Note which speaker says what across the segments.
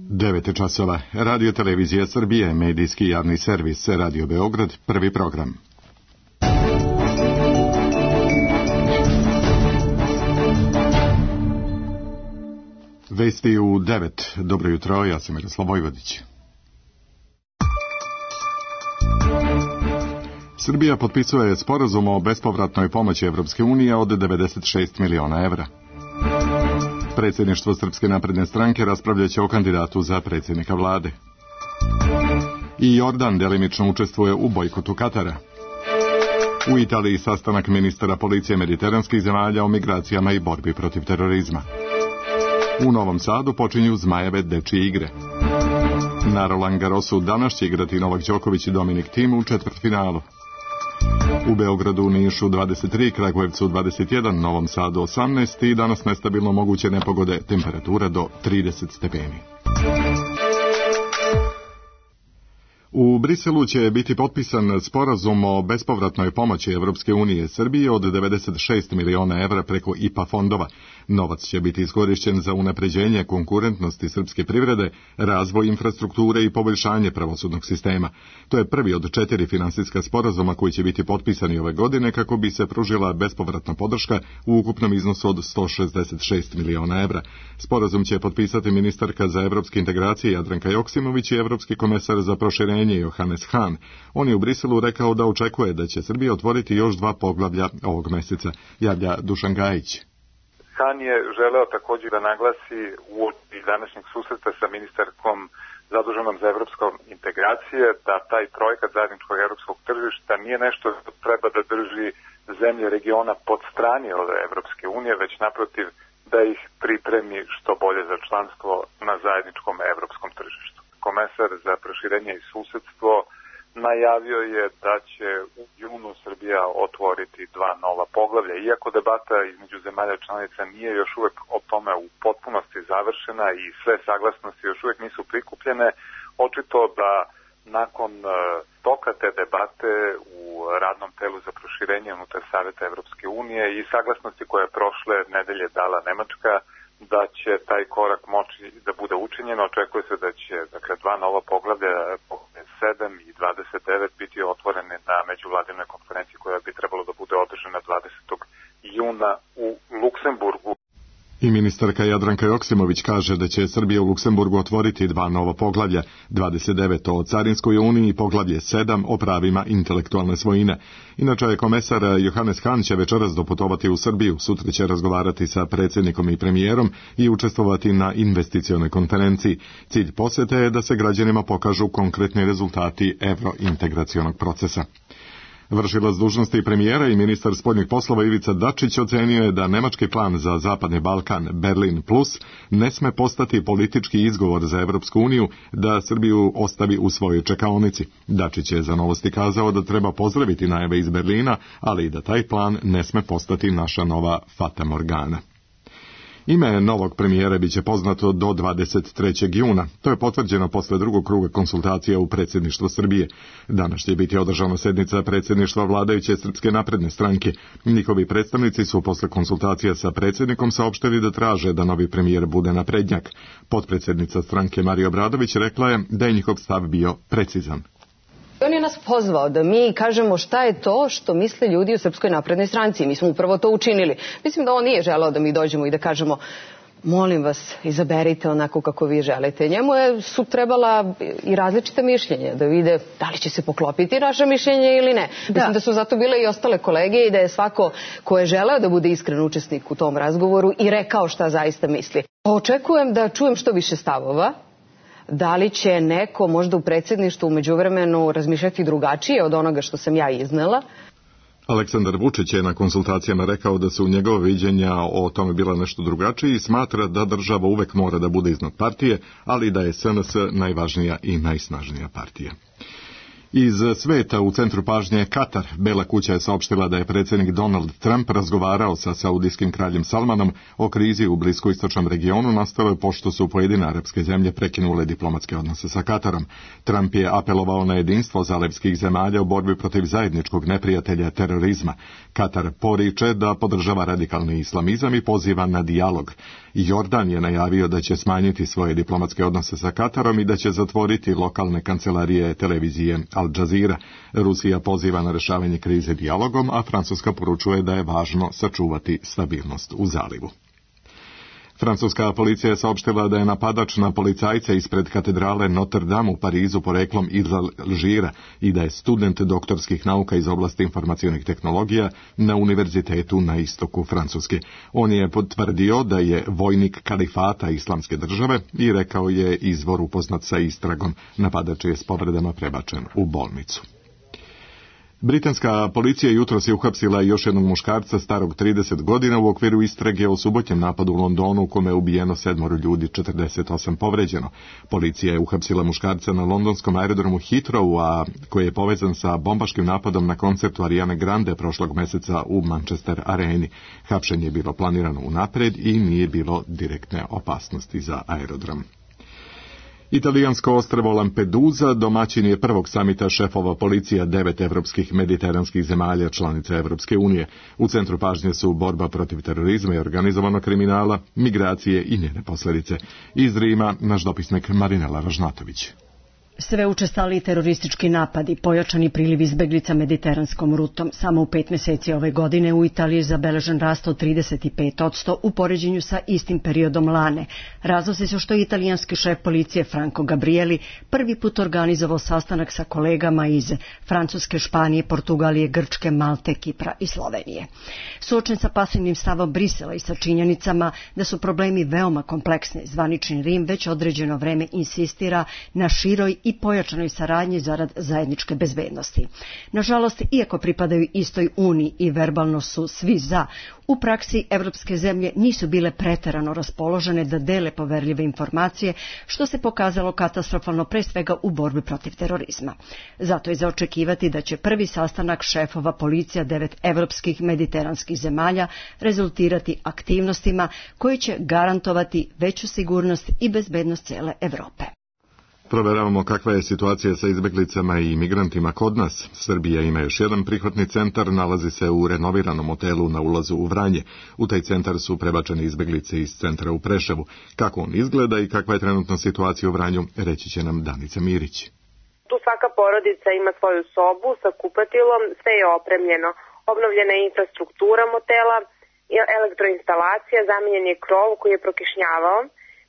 Speaker 1: 9 časova. Radio Televizija Srbije, medijski javni servis, Radio Beograd, prvi program. Vesti u 9. Dobro jutro, ja sam Miroslav Vojvodić. Srbija potpisuje sporazum o bespovratnoj pomoći Evropske unije od 96 miliona evra. Predsjedništvo Srpske napredne stranke raspravljaće o kandidatu za predsjednika vlade. I Jordan delimično učestvuje u bojkotu Katara. U Italiji sastanak ministara policije mediteranskih zemalja o migracijama i borbi protiv terorizma. U Novom Sadu počinju Zmajeve dečije igre. Na Roland Garrosu danas će igrati Novak Đoković i Dominik Thiem u četvrtfinalu. U Beogradu, Nišu 23, Kragujevcu 21, Novom Sadu 18 i danas nestabilno moguće nepogode, temperatura do 30 stepeni. U Briselu će biti potpisan sporazum o bespovratnoj pomoći Evropske unije Srbiji od 96 miliona evra preko IPA fondova. Novac će biti iskorišćen za unapređenje konkurentnosti srpske privrede, razvoj infrastrukture i poboljšanje pravosudnog sistema. To je prvi od 4 finansijska sporazuma koji će biti potpisani ove godine kako bi se pružila bespovratna podrška u ukupnom iznosu od 166 miliona evra. Sporazum će potpisati ministarka za evropske integracije Jadranka Joksimović i evropski komesar za proširenje Johannes Hahn. On je u Briselu rekao da očekuje da će Srbija otvoriti još 2 poglavlja ovog meseca. Javlja Dušan Gajić.
Speaker 2: Hahn je želeo također da naglasi u današnjeg susreta sa ministarkom zaduženom za evropsku integracije da taj projekat zajedničkog evropskog tržišta nije nešto što treba da drži zemlje regiona pod strani od Evropske unije, već naprotiv da ih pripremi što bolje za članstvo na zajedničkom evropskom tržištu. Komesar za proširenje i susedstvo najavio je da će u junu Srbija otvoriti 2 nova poglavlja. Iako debata između zemalja članica nije još uvek o tome u potpunosti završena i sve saglasnosti još uvek nisu prikupljene, očito da nakon toka te debate u radnom telu za proširenje unutar Saveta Evropske unije i saglasnosti koje je prošle nedelje dala Nemačka, da će taj korak moći da bude učinjen. Očekuje se da će 2 nova poglavlja, 7 i 29, biti otvorene na međuvladinoj konferenciji koja bi trebalo da bude održana 20. juna u Luksemburgu.
Speaker 1: I ministarka Jadranka Joksimović kaže da će Srbija u Luksemburgu otvoriti 2 nova poglavlja, 29 o carinskoj uniji i poglavlje 7 o pravima intelektualne svojine. Inače je komesar Johannes Hahn će večeras doputovati u Srbiju, sutra će razgovarati sa predsjednikom i premijerom i učestvovati na investicionoj konferenciji. Cilj posjete je da se građanima pokažu konkretni rezultati evrointegracionog procesa. Vršilac dužnosti premijera i ministar spoljnih poslova Ivica Dačić ocenio je da nemački plan za Zapadni Balkan, Berlin plus, ne sme postati politički izgovor za Evropsku uniju da Srbiju ostavi u svojoj čekaonici. Dačić je za Novosti kazao da treba pozdraviti najave iz Berlina, ali i da taj plan ne sme postati naša nova Fata Morgana. Ime novog premijera biće poznato do 23. juna. To je potvrđeno posle drugog kruga konsultacija u predsjedništvu Srbije. Danas će biti održana sednica predsjedništva vladajuće Srpske napredne stranke. Njihovi predstavnici su posle konsultacija sa predsjednikom saopštili da traže da novi premijer bude naprednjak. Potpredsjednica stranke Marija Obradović rekla je da je njihov stav bio precizan.
Speaker 3: On je nas pozvao da mi kažemo šta je to što misle ljudi u Srpskoj naprednoj stranci. Mi smo upravo to učinili. Mislim da on nije želeo da mi dođemo i da kažemo molim vas, izaberite onako kako vi želite. Njemu su trebala i različita mišljenja da vide da li će se poklopiti naše mišljenje ili ne. Mislim da su zato bile i ostale kolege i da je svako ko je želeo da bude iskren učesnik u tom razgovoru i rekao šta zaista misli. Očekujem da čujem što više stavova. Da li će neko možda u predsjedništvu u međuvremenu razmišljati drugačije od onoga što sam ja iznela?
Speaker 1: Aleksandar Vučić je na konsultacijama rekao da su njegove viđenja o tome bila nešto drugačije i smatra da država uvek mora da bude iznad partije, ali da je SNS najvažnija i najsnažnija partija. Iz sveta u centru pažnje Katar. Bela kuća je saopštila da je predsjednik Donald Trump razgovarao sa saudijskim kraljem Salmanom o krizi u bliskoistočnom regionu nastale pošto su pojedine arapske zemlje prekinule diplomatske odnose sa Katarom. Trump je apelovao na jedinstvo zalevskih zemalja u borbi protiv zajedničkog neprijatelja terorizma. Katar poriče da podržava radikalni islamizam i poziva na dijalog. Jordan je najavio da će smanjiti svoje diplomatske odnose sa Katarom i da će zatvoriti lokalne kancelarije televizije Al Jazeera. Rusija poziva na rešavanje krize dijalogom, a Francuska poručuje da je važno sačuvati stabilnost u zalivu. Francuska policija je saopštila da je napadač na policajca ispred katedrale Notre Dame u Parizu poreklom iz Alžira i da je student doktorskih nauka iz oblasti informacionih tehnologija na univerzitetu na istoku Francuske. On je potvrdio da je vojnik kalifata Islamske države i rekao je izvor upoznat sa istragom. Napadač je s povredama prebačen u bolnicu. Britanska policija jutros je uhapsila još jednog muškarca starog 30 godina u okviru istrage o subotnjem napadu u Londonu u kome je ubijeno 7 ljudi, 48 povređeno. Policija je uhapsila muškarca na londonskom aerodromu Heathrow, a koji je povezan sa bombaškim napadom na koncertu Ariane Grande prošlog meseca u Manchester Areni. Hapšenje je bilo planirano unapred i nije bilo direktne opasnosti za aerodrom. Italijansko ostrvo Lampedusa domaćin je prvog samita šefova policija 9 evropskih mediteranskih zemalja članica Evropske unije. U centru pažnje su borba protiv terorizma i organizovanog kriminala, migracije i njene posljedice. Iz Rima naš dopisnik Marinela Ražnatović.
Speaker 4: Sve učestali teroristički napadi, pojačani priliv izbeglica mediteranskom rutom. Samo u 5 mjeseci ove godine u Italiji je zabeležen rast od 35% u poređenju sa istim periodom lane. Razlozi su što je italijanski šef policije Franco Gabrielli prvi put organizovao sastanak sa kolegama iz Francuske, Španije, Portugalije, Grčke, Malte, Kipra i Slovenije. Suočen sa pasivnim stavom Brisela i sa činjenicama da su problemi veoma kompleksni, zvanični Rim već određeno vreme insistira na široj i pojačanoj saradnji zarad zajedničke bezbednosti. Nažalost, iako pripadaju istoj uniji i verbalno su svi za, u praksi evropske zemlje nisu bile preterano raspoložene da dele poverljive informacije, što se pokazalo katastrofalno pre svega u borbi protiv terorizma. Zato je za očekivati da će prvi sastanak šefova policija 9 evropskih mediteranskih zemalja rezultirati aktivnostima koji će garantovati veću sigurnost i bezbednost cijele Evrope.
Speaker 1: Proveravamo kakva je situacija sa izbeglicama i migrantima kod nas. Srbija ima još jedan prihvatni centar, nalazi se u renoviranom hotelu na ulazu u Vranje. U taj centar su prebačene izbeglice iz centra u Preševu. Kako on izgleda i kakva je trenutna situacija u Vranju, reći će nam Danica Mirić.
Speaker 5: Tu svaka porodica ima svoju sobu sa kupatilom, sve je opremljeno. Obnovljena je infrastruktura motela, elektroinstalacija, zamenjen je krov koji je prokišnjavao,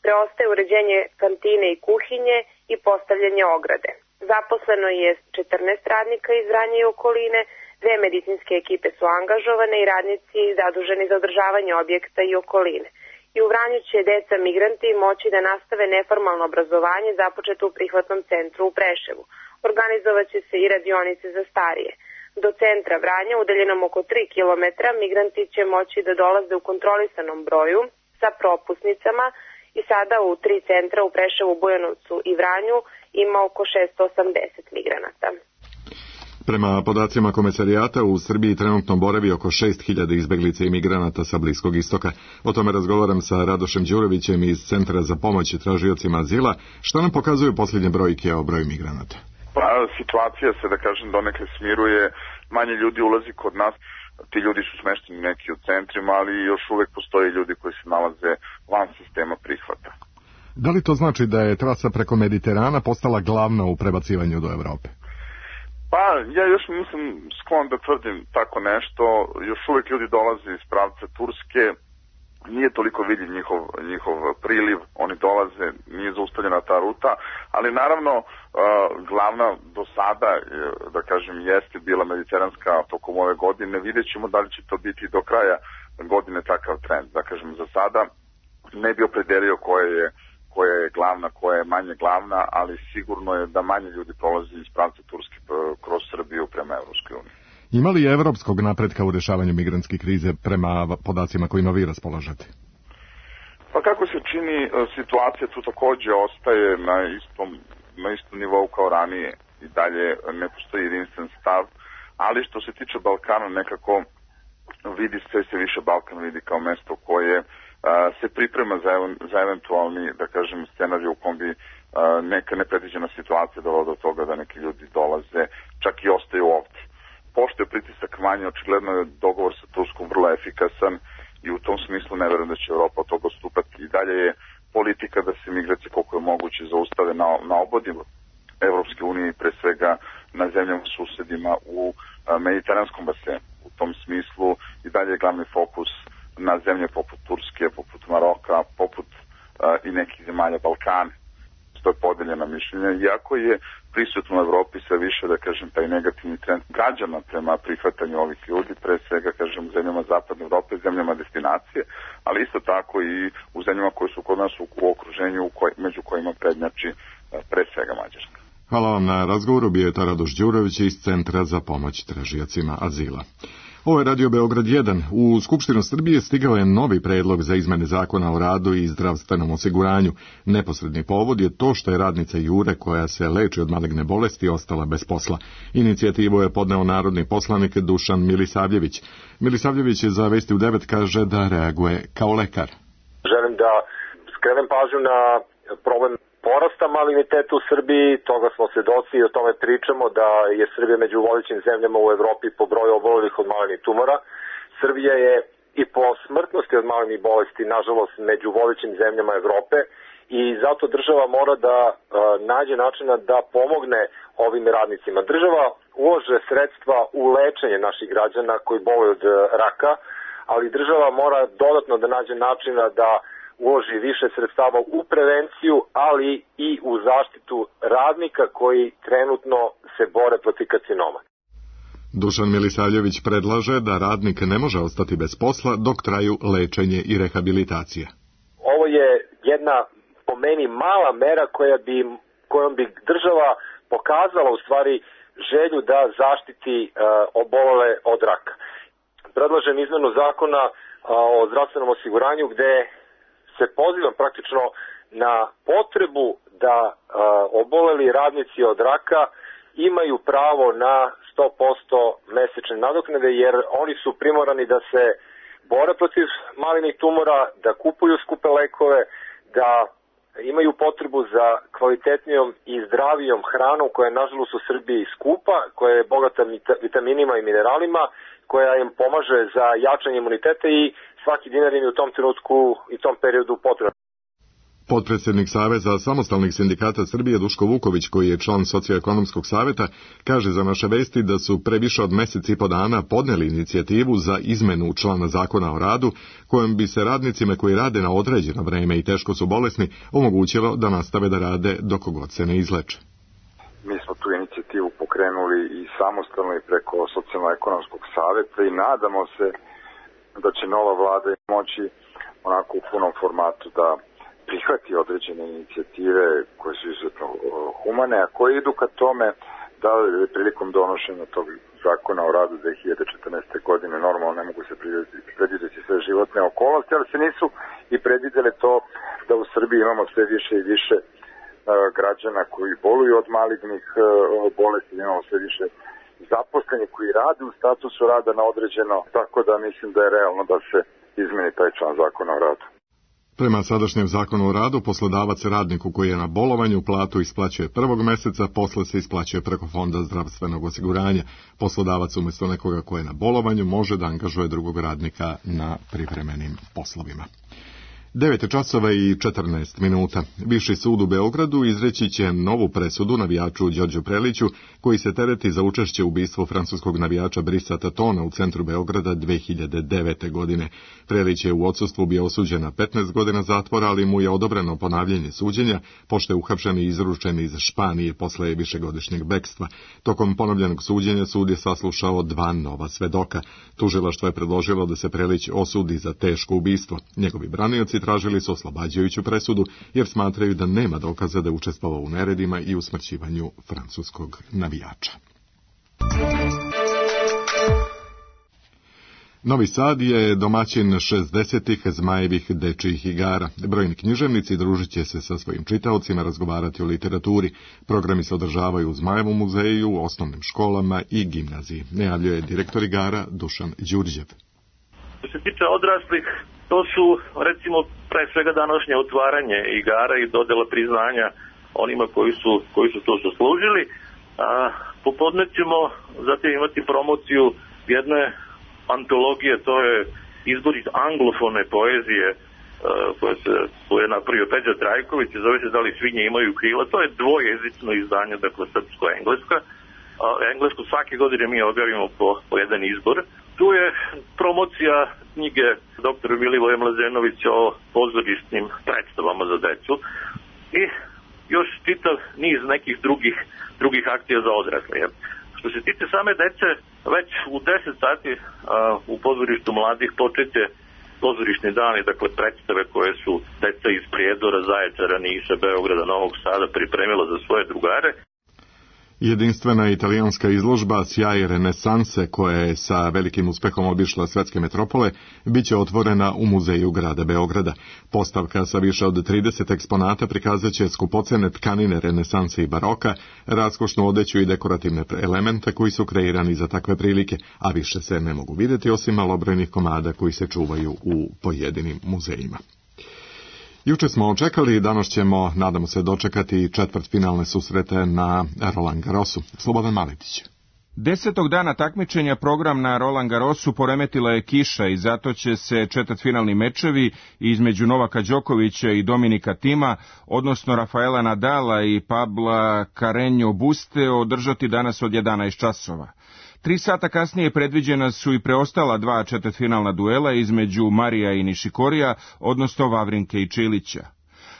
Speaker 5: preostaje uređenje kantine i kuhinje i postavljanje ograde. Zaposleno je 14 radnika iz Vranja i okoline, 2 medicinske ekipe su angažovane i radnici zaduženi za održavanje objekta i okoline. I u Vranju će deca migranti moći da nastave neformalno obrazovanje započeto u prihvatnom centru u Preševu. Organizovaće se i radionice za starije. Do centra Vranja, udaljenom oko 3 km, migranti će moći da dolaze u kontrolisanom broju sa propusnicama i sada u 3 centra u Preševu, Bujanovcu i Vranju ima oko 680 migranata.
Speaker 1: Prema podacima Komesarijata, u Srbiji trenutno boravi oko 6.000 izbeglica i migranata sa Bliskog istoka. O tome razgovaram sa Radošem Đurovićem iz Centra za pomoć tražiocima azila. Šta nam pokazuju posljednje brojke o broju migranata?
Speaker 6: Pa, situacija se, da kažem, donekle smiruje. Manje ljudi ulazi kod nas. Ti ljudi su smešteni neki u centrima, ali još uvek postoje ljudi koji se nalaze van sistema prihvata.
Speaker 1: Da li to znači da je trasa preko Mediterana postala glavna u prebacivanju do Evrope?
Speaker 6: Pa, ja još nisam sklon da tvrdim tako nešto. Još uvek ljudi dolaze iz pravca Turske. Nije toliko vidljiv njihov priliv, oni dolaze, nije zaustavljena ta ruta, ali naravno glavna do sada, da kažem, jeste bila mediteranska tokom ove godine. Vidjet ćemo da li će to biti do kraja godine takav trend. Da kažem, za sada ne bi opredelio koja je glavna, koja je manje glavna, ali sigurno je da manje ljudi prolazi iz pravca Turske kroz Srbiju prema Evropskoj uniji.
Speaker 1: Ima li evropskog napretka u rešavanju migrantske krize prema podacima kojima vi raspolažete?
Speaker 6: Pa kako se čini, situacija tu također ostaje na istom nivou kao ranije. I dalje ne postoji jedinstven stav, ali što se tiče Balkana nekako sve se više Balkan vidi kao mesto koje se priprema za eventualni, da kažem, scenarij u kom bi neka nepredviđena situacija dovela do toga da neki ljudi dolaze, čak i ostaju ovdje. Pošto je pritisak manje, očigledno je dogovor sa Turskom vrlo efikasan i u tom smislu ne verujem da će Evropa od toga odstupati. I dalje je politika da se migracije koliko je moguće zaustave na obodi Evropske unije, pre svega na zemljama susedima u mediteranskom basenu. U tom smislu i dalje je glavni fokus na zemlje poput Turske, poput Maroka, poput i nekih zemalja Balkana. To je podeljeno mišljenje, iako je prisutno u Evropi sve više, da kažem, taj negativni trend građana prema prihvatanju ovih ljudi, pre svega, kažem, u zemljama Zapadne Evrope, zemljama destinacije, ali isto tako i u zemljama koje su kod nas u okruženju, među kojima prednjači pre svega Mađarska.
Speaker 1: Hvala vam na razgovoru, bio je Radoš Đurović iz Centra za pomoć tražiocima azila. Ovo je Radio Beograd 1. U Skupštinu Srbije stigao je novi predlog za izmene zakona o radu i zdravstvenom osiguranju. Neposredni povod je to što je radnica Jure, koja se leči od maligne bolesti, ostala bez posla. Inicijativu je podneo narodni poslanik Dušan Milisavljević. Milisavljević za Vesti u 9 kaže da reaguje kao lekar.
Speaker 7: Želim da skrenem pažnju na problem porasta maligniteta u Srbiji, toga smo svedoci i o tome pričamo da je Srbija među vodećim zemljama u Evropi po broju obolelih od malignih tumora. Srbija je i po smrtnosti od malignih bolesti, nažalost, među vodećim zemljama Evrope i zato država mora da nađe načina da pomogne ovim radnicima. Država ulože sredstva u lečenje naših građana koji boluju od raka, ali država mora dodatno da nađe načina da uloži više sredstava u prevenciju, ali i u zaštitu radnika koji trenutno se bore protiv karcinoma.
Speaker 1: Dušan Milisavljević predlaže da radnik ne može ostati bez posla dok traju lečenje i rehabilitacija.
Speaker 7: Ovo je jedna, po meni, mala mera kojom bi država pokazala u stvari želju da zaštiti obolele od raka. Predlažem izmenu zakona o zdravstvenom osiguranju gde se pozivam praktično na potrebu da oboleli radnici od raka imaju pravo na 100% mesečne nadoknade, jer oni su primorani da se bore protiv malignih tumora, da kupuju skupe lekove, da imaju potrebu za kvalitetnijom i zdravijom hranom koja je nažalost u Srbiji skupa, koja je bogata vitaminima i mineralima, koja im pomaže za jačanje imuniteta i svaki dinar im je u tom trenutku i tom periodu potreban.
Speaker 1: Potpredsjednik Saveza samostalnih sindikata Srbije Duško Vuković, koji je član Socioekonomskog saveta, kaže za naše vesti da su pre više od mesec i po dana podneli inicijativu za izmenu člana zakona o radu, kojom bi se radnicima koji rade na određeno vreme i teško su bolesni omogućilo da nastave da rade dok god se ne izleče.
Speaker 6: Mi smo tu inicijativu pokrenuli i samostalno i preko Socijalno-ekonomskog saveta i nadamo se da će nova vlada moći onako u punom formatu da prihvati određene inicijative koje su izuzetno humane, a koje idu ka tome da prilikom donošenja tog zakona o radu 2014. godine normalno ne mogu se predvidjeti sve životne okolnosti, ali se nisu i predvidjeli to da u Srbiji imamo sve više i više građana koji boluju od malignih bolesti, imamo sve više zaposleni koji rade u statusu rada na određeno, tako da mislim da je realno da se izmeni taj član zakona o radu.
Speaker 1: Prema sadašnjem zakonu o radu, poslodavac radniku koji je na bolovanju platu isplaćuje prvog meseca, posle se isplaćuje preko Fonda zdravstvenog osiguranja. Poslodavac umjesto nekoga ko je na bolovanju može da angažuje drugog radnika na privremenim poslovima. 9:14 Viši sud u Beogradu izreći će novu presudu navijaču Đorđu Preliću, koji se tereti za učešće u ubistvu francuskog navijača Brisa Tatona u centru Beograda 2009. godine. Prelić je u odsustvu bio osuđen na 15 godina zatvora, ali mu je odobreno ponavljanje suđenja, pošto je uhapšen i izručen iz Španije posle višegodišnjeg bekstva. Tokom ponovljenog suđenja sud je saslušao 2 nova svedoka. Tužilaštvo je predložilo da se Prelić osudi za teško ubistvo. Njegovi branioci tražili su oslobađajuću presudu jer smatraju da nema dokaza da je učestvovao u neredima i usmrćivanju francuskog navijača. Novi Sad je domaćin 60-ih Zmajevih dečijih igara. Brojni književnici družit će se sa svojim čitaocima, razgovarati o literaturi. Programi se održavaju u Zmajevom muzeju, osnovnim školama i gimnaziji. Najavljuje direktor igara Dušan Đurđev.
Speaker 8: Što se tiče odraslih, to su, recimo, pre svega današnje otvaranje igara i dodela priznanja onima koji su to zaslužili. Popodne ćemo zatim imati promociju jedne antologije, to je izbor iz anglofone poezije koje je napravio Peđa Trajković, zove se Da li svinje imaju krila. To je dvojezično izdanje, dakle srpsko-engleska. Englesku svake godine mi objavimo po jedan izbor. Tu je promocija knjige dr. Milivoja Mlazenovića o pozorišnim predstavama za decu i još čitav niz nekih drugih akcija za odrasle. Što se tiče same dece, već u 10 sati u pozorištu mladih počeće pozorišni dani, dakle predstave koje su deca iz Prijedora, Zaječara, Niša, Beograda, Novog Sada pripremila za svoje drugare.
Speaker 1: Jedinstvena italijanska izložba Sjaj renesanse, koja je sa velikim uspehom obišla svetske metropole, bit će otvorena u muzeju grada Beograda. Postavka sa više od 30 eksponata prikazat će skupocene tkanine renesanse i baroka, raskošnu odeću i dekorativne elemente koji su kreirani za takve prilike, a više se ne mogu vidjeti osim malobrojnih komada koji se čuvaju u pojedinim muzejima. Juče smo očekali, danas ćemo, nadamo se, dočekati četvrtfinalne susrete na Roland Garrosu. Slobodan Maletić.
Speaker 9: 10. dana takmičenja program na Roland Garrosu poremetila je kiša i zato će se četvrtfinalni mečevi između Novaka Đokovića i Dominika Tima, odnosno Rafaela Nadala i Pabla Carreño Buste, održati danas od 11 časova. 3 sata kasnije predviđena su i preostala 2 četvrtfinalna duela između Marija i Nišikorija, odnosno Vavrinke i Čilića.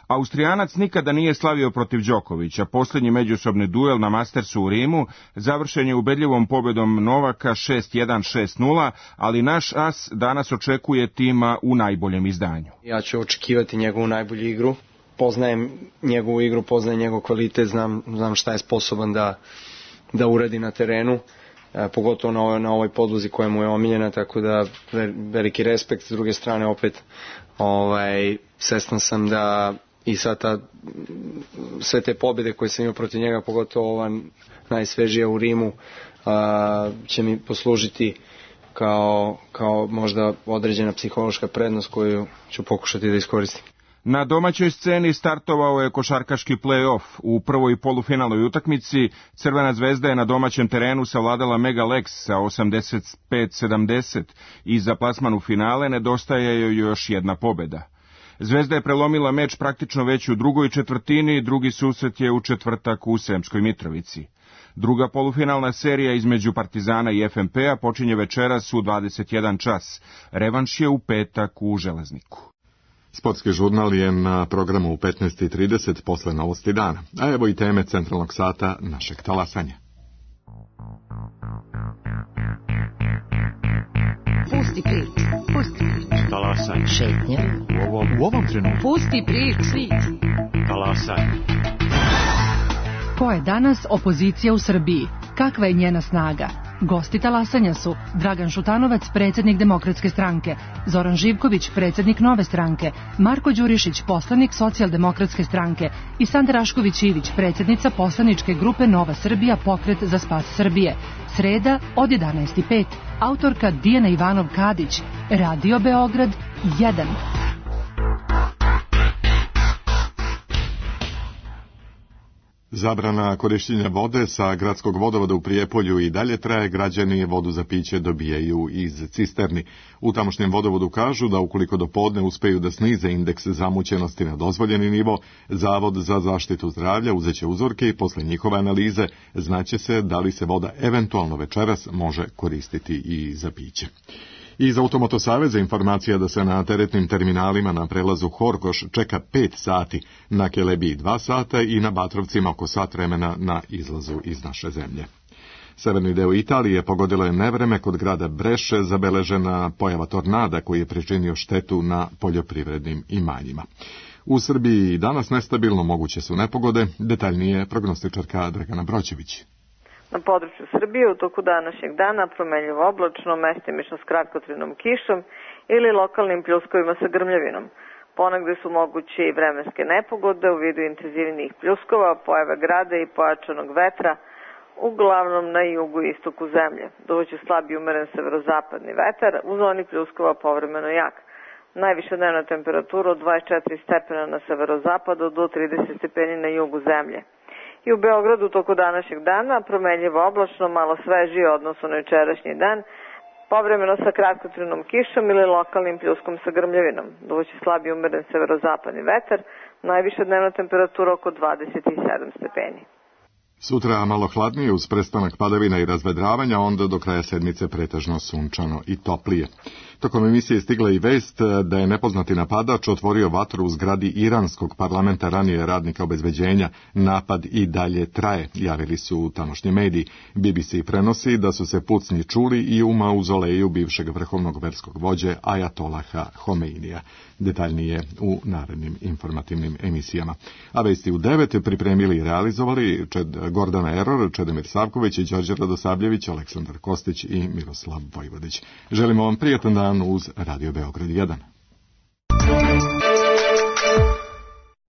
Speaker 9: Austrijanac nikada nije slavio protiv Đokovića. Posljednji međusobni duel na Mastersu u Rimu završen je ubedljivom pobjedom Novaka 6-1, 6-0, ali naš as danas očekuje Tima u najboljem izdanju.
Speaker 10: Ja ću očekivati njegovu najbolju igru. Poznajem njegovu igru, poznajem njegov kvalitet, znam šta je sposoban da uradi na terenu. Pogotovo na ovoj podlozi koja mu je omiljena, tako da veliki respekt. S druge strane opet svestan sam da i sve te pobjede koje sam imao protiv njega, pogotovo ova najsvežija u Rimu, će mi poslužiti kao možda određena psihološka prednost koju ću pokušati da iskoristim.
Speaker 9: Na domaćoj sceni startovao je košarkaški play-off. U prvoj polufinalnoj utakmici Crvena zvezda je na domaćem terenu savladala Mega Lex sa 85-70 i za plasman u finale nedostaje joj još jedna pobjeda. Zvezda je prelomila meč praktično već u drugoj četvrtini, drugi susret je u četvrtak u Sremskoj Mitrovici. Druga polufinalna serija između Partizana i FNP-a počinje večeras u 21 čas. Revanš je u petak u Železniku.
Speaker 1: Sportski žurnal je na programu u 15:30 posle novosti dana. A evo i teme centralnog sata našeg talasanja.
Speaker 11: Pusti prič.
Speaker 12: Talasanje.
Speaker 11: Šetnja.
Speaker 12: U ovom trenutku.
Speaker 11: Pusti prič.
Speaker 12: Talasanje.
Speaker 13: Ko je danas opozicija u Srbiji? Kakva je njena snaga? Gosti talasanja su Dragan Šutanovac, predsjednik Demokratske stranke, Zoran Živković, predsjednik Nove stranke, Marko Đurišić, poslanik Socijaldemokratske stranke i Sanda Rašković-Ivić, predsjednica poslaničke grupe Nova Srbija, pokret za spas Srbije. Sreda od 11:05. Autorka Dijana Ivanov-Kadić. Radio Beograd 1.
Speaker 1: Zabrana korištenja vode sa gradskog vodovoda u Prijepolju i dalje traje, građani vodu za piće dobijaju iz cisterni. U tamošnjem vodovodu kažu da ukoliko do podne uspeju da snize indeks zamućenosti na dozvoljeni nivo, Zavod za zaštitu zdravlja uzeće uzorke i posle njihove analize znaće se da li se voda eventualno večeras može koristiti i za piće. Iz Automoto Saveza informacija da se na teretnim terminalima na prelazu Horgoš čeka 5 sati, na Kelebiji 2 sata i na Batrovcima oko sat vremena na izlazu iz naše zemlje. Severni deo Italije pogodilo je nevreme, kod grada Breše zabeležena pojava tornada koji je pričinio štetu na poljoprivrednim imanjima. U Srbiji danas nestabilno, moguće su nepogode, detaljnije prognostičarka Dragana Broćević.
Speaker 14: Na području Srbije u toku današnjeg dana promenljivo oblačno, mestimično s kratkotrajnom kišom ili lokalnim pljuskovima sa grmljavinom. Ponegde su moguće i vremenske nepogode u vidu intenzivnijih pljuskova, pojave grada i pojačanog vetra, uglavnom na jugu i istoku zemlje. Duvaće slab i umeren severozapadni vetar, u zoni pljuskova povremeno jak. Najviša dnevna temperatura od 24 stepena na severozapadu do 30 stepeni na jugu zemlje. I u Beogradu toku današnjeg dana promenljivo oblačno, malo svežije odnosno na jučerašnji dan, povremeno sa kratkotrajnom kišom ili lokalnim pljuskom sa grmljavinom. Duvaće slab i umeren severozapadni vetar, najviša dnevna temperatura oko 27 stepeni.
Speaker 1: Sutra malo hladnije uz prestanak padavina i razvedravanja, onda do kraja sedmice pretežno sunčano i toplije. Tokom emisije stigla i vest da je nepoznati napadač otvorio vatru u zgradi iranskog parlamenta, ranije radnika obezbeđenja. Napad i dalje traje, javili su tamošnji mediji. BBC prenosi da su se pucnji čuli i u mauzoleju bivšeg vrhovnog verskog vođe Ajatolaha Homeinija. Detaljnije u narednim informativnim emisijama. A vesti u 9 pripremili i realizovali Gordana Eror, Čedomir Savković, Đorđe Radosavljević, Aleksandar Kostić i Miroslav Vojvodić. Želimo vam prijatan dan uz Radio Beograd 1.